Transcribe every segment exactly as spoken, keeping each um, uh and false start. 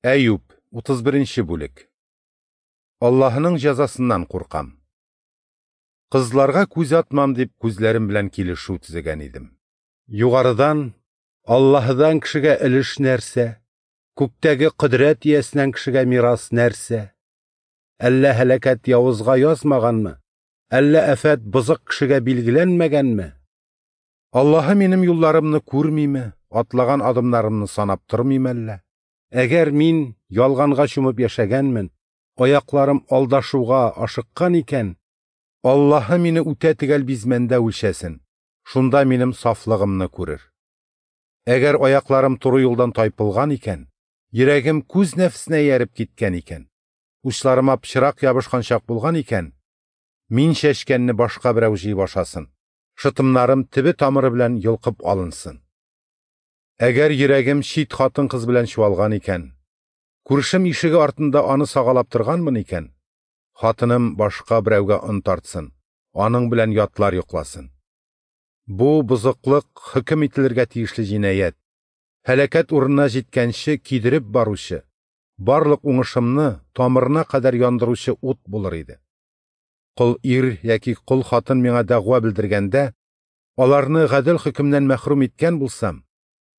Әюп, утыз беренче бүлек. Аллаһының җәзасыннан куркам. Кызларга күз атмам дип күзләрем белән килешү төзегән идем. Югарыдан Аллаһыдан кешегә өлеш нәрсә, күктәге кодрәт иясеннән кешегә мирас нәрсә? Әллә һәлакәт явызга язмаганмы? Әллә афәт бозык кешегә билгеләнмәгәнме? Аллаһы минем юлларымны күрмиме, атлаган адымнарымны санап тормыймы әллә? Әгәр мин ялганга чумып яшәгәнмен, аякларым алдашуга ашыккан икән, Аллаһы мине үтә төгәл бизмәндә үлчәсен, шунда минем сафлыгымны күрер. Әгәр аякларым туры юлдан тайпылган икән, йөрәгем күз нәфесенә ияреп киткән икән, учларыма пычрак ябышкан чак булган икән, мин чәчкәнне башка берәү җыеп ашасын, шытымнарым төбе тамыры белән йолкып алынсын. Әгәр йөрәгем чит хатын-кыз белән чуалган икән, күршем ишеге артында аны сагалап торганмын икән, хатыным башка берәүгә он тартсын, аның белән ятлар йокласын. Бу бозыклык хөкем ителергә тиешле җинаять, һәлакәт урынына җиткәнче кидереп баручы, барлык уңышымны тамырына кадәр яндыручы ут булыр иде. Кол ир яки кол хатын миңа дәгъва белдергәндә, аларны гадел хөкемнән мәхрүм иткән булсам,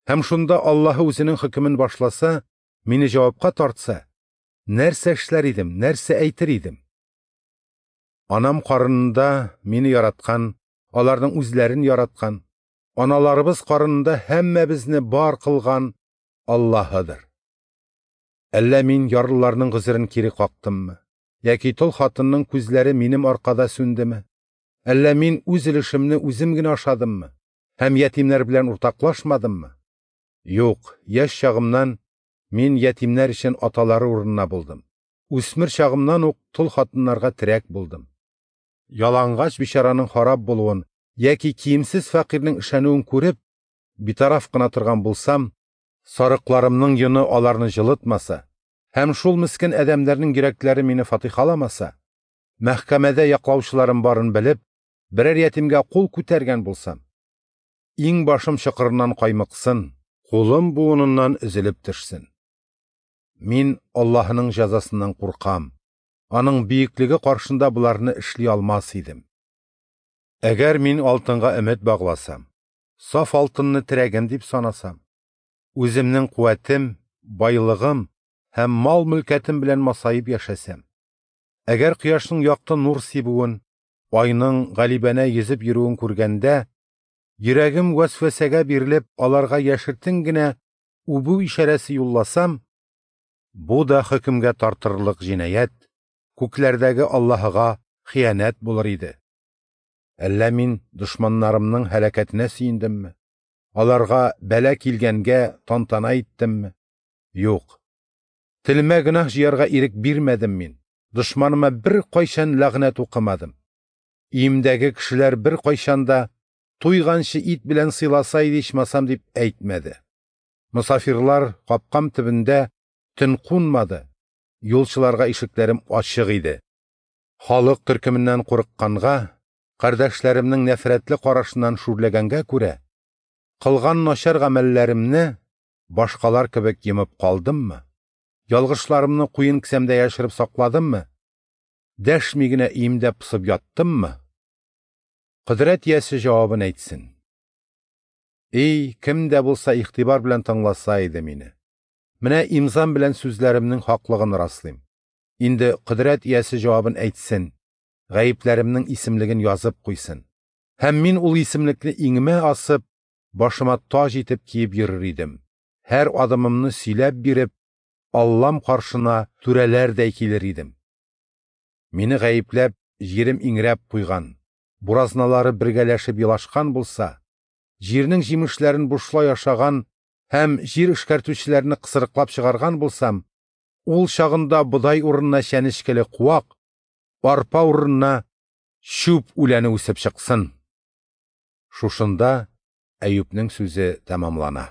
һәм шунда Аллаһы үзенең хөкемен башласа, мине җавапка тартса, нәрсә эшләр идем, нәрсә әйтер идем? Анам карынында мине яраткан, аларның үзләрен яраткан, аналарыбыз карынында һәммәбезне бар кылган Аллаһыдыр. Әллә мин ярлыларның гозерен кире кактыммы? Яки тол хатынның күзләре минем аркада сүндеме? Әллә мин үз өлешемне үзем генә ашадыммы? Һәм ятимнәр белән уртаклашмадыммы? Юк, яшь чагымнан мин ятимнәр өчен аталары урынына булдым. Үсмер чагымнан ук тол хатыннарга терәк булдым. Ялангач бичараның харап булуын яки киемсез фәкыйрьнең ышануын күреп, битараф кына торган булсам, сарыкларымның йоны аларны җылытмаса, һәм шул мискен адәмнәрнең йөрәкләре мине фатихаламаса, мәхкәмәдә яклаучыларым барын белеп, берәр ятимгә кул күтәргән булсам, иң башым чокырыннан каймыксын, кулым буыныннан өзелеп төшсен. Мин Аллаһының җәзасыннан куркам. Аның бөеклеге каршында буларны эшли алмас идем. Әгәр мин алтынга өмет багласам, саф алтынны терәгем дип санасам, үземнең куәтем, байлыгым һәм мал-мөлкәтем белән масаеп яшәсәм, әгәр кояшның якты нур сибүен, айның галибәнә йөзеп йөрүен күргәндә, йөрәгем вәсвәсәгә бирелеп, аларга яшертен генә үбү ишарәсе юлласам, бу да хөкемгә тартырлык җинаять, күкләрдәге Аллаһыга хыянәт булыр иде. Әллә мин дошманнарымның һәлакәтенә сөендемме? Аларга бәла килгәнгә тантана иттемме? Юк. Телемә гөнаһ җыярга ирек бирмәдем мин. Дошманыма бер кайчан ләгънәт укымадым. Өемдәге кешеләр бер кайчан да туйганчы ит белән сыйласа иде ичмасам дип әйтмәде. Мосафирлар капкам төбендә төн кунмады. Юлчыларга ишекләрем ачык иде. Халык төркеменнән курыкканга, кардәшләремнең нәфрәтле карашыннан шүрләгәнгә күрә, кылган начар гамәлләремне башкалар кебек йомып калдыммы? Ялгышларымны куен кесәмдә яшереп сакладыммы? Дәшми генә өемдә пысып яттыммы? Кодрәт иясе җавабын әйтсен. Эй, кем дә булса игътибар белән тыңласа иде мине. Менә имзам белән сүзләремнең хаклыгын раслыйм. Инде кодрәт иясе җавабын әйтсен, гаепләремнең исемлеген язып куйсын. Һәм мин ул исемлекне иңемә асып, башыма таҗ итеп киеп йөрер идем. Һәр адымымны сөйләп биреп, Аллам каршына түрәләрдәй килер идем. Мине гаепләп, җирем иңрәп куйган, буразналары бергәләшеп елашкан булса, җирнең җимешләрен бушлай ашаган һәм җир эшкәртүчеләрне кысрыклап чыгарган булсам, ул чагында бодай урынына чәнечкеле куак, арпа урынына чүп үләне үсеп чыксын. Шушында Әюпнең сүзе тәмамлана.